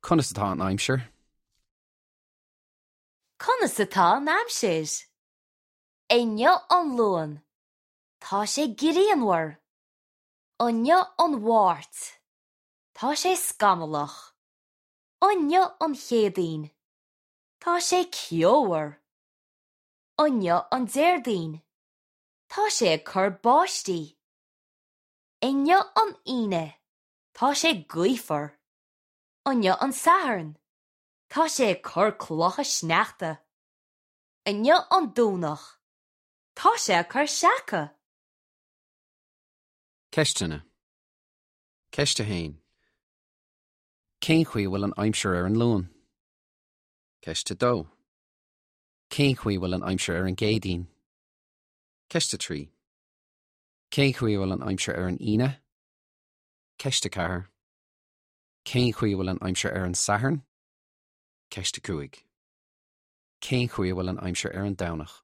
Conas atá an aimsir? Conas atá an aimsir? Inniu an Luan. Tá sé grianmhar. Inniu an Mháirt. Tá sé scamallach. Inniu an Chéadaoin. Tá sé ceomhar. Inniu an Déardaoin. Tá sé ag cur báistí. Inniu an Aoine. Tá sé gaofar. Inniu an Satharn. Tá sé ag cur clocha sneachta. Inniu an Domhnach. Tá sé ag cur seaca. Ceisteanna. Ceist 1. Cén chaoi a bhfuil an aimsir ar an Luan? Ceist 2. Cén chaoi a bhfuil an aimsir ar an gCéadaoin? Ceist 3. Cén chaoi a bhfuil an aimsir ar an Aoine? Ceist 4. Cén chaoi a bhfuil an aimsir ar an Satharn? Ceist 5. Cén chaoi a bhfuil an aimsir ar an Domhnach?